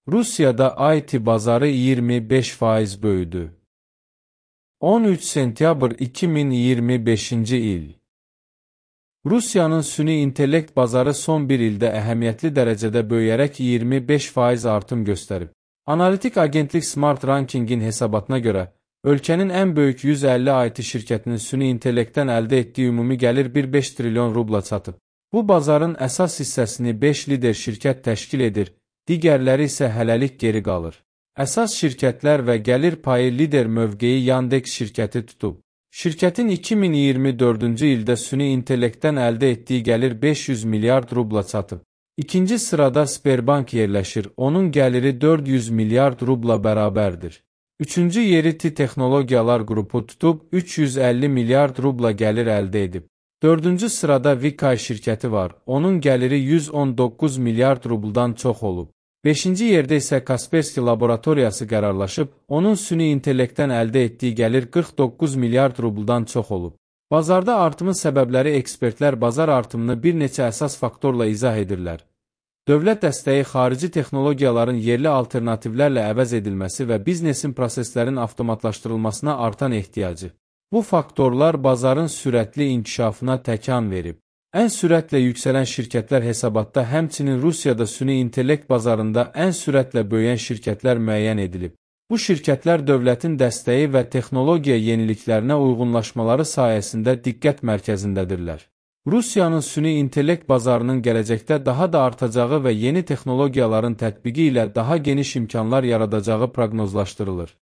Rusiyada IT bazarı 25% böyüdü. 13 sentyabr 2025-ci il. Rusiyanın süni intellekt bazarı son bir ildə əhəmiyyətli dərəcədə böyüyərək 25% artım göstərib. Analitik agentlik Smart Rankingin hesabatına görə, ölkənin ən böyük 150 IT şirkətinin süni intellektdən əldə etdiyi ümumi gəlir 1,5 trilyon rubla çatıb. Bu bazarın əsas hissəsini 5 lider şirkət təşkil edir, digərləri isə hələlik geri qalır. Əsas şirkətlər və gəlir payı lider mövqeyi Yandex şirkəti tutub. Şirkətin 2024-cü ildə süni intellektdən əldə etdiyi gəlir 500 milyard rubla çatıb. İkinci sırada Sberbank yerləşir, onun gəliri 400 milyard rubla bərabərdir. Üçüncü yeri TI Texnologiyalar qrupu tutub 350 milyard rubla gəlir əldə edib. Dördüncü sırada Vikay şirkəti var, onun gəliri 119 milyard rubldan çox olub. Beşinci yerdə isə Kaspersky laboratoriyası qərarlaşıb, onun süni intellektdən əldə etdiyi gəlir 49 milyard rubuldan çox olub. Bazarda artımın səbəbləri ekspertlər bazar artımını bir neçə əsas faktorla izah edirlər. Dövlət dəstəyi xarici texnologiyaların yerli alternativlərlə əvəz edilməsi və biznesin proseslərin avtomatlaşdırılmasına artan ehtiyacı. Bu faktorlar bazarın sürətli inkişafına təkan verib. Ən sürətlə yüksələn şirkətlər hesabatda həmçinin Rusiyada süni intellekt bazarında ən sürətlə böyüyən şirkətlər müəyyən edilib. Bu şirkətlər dövlətin dəstəyi və texnologiya yeniliklərinə uyğunlaşmaları sayəsində diqqət mərkəzindədirlər. Rusiyanın süni intellekt bazarının gələcəkdə daha da artacağı və yeni texnologiyaların tətbiqi ilə daha geniş imkanlar yaradacağı proqnozlaşdırılır.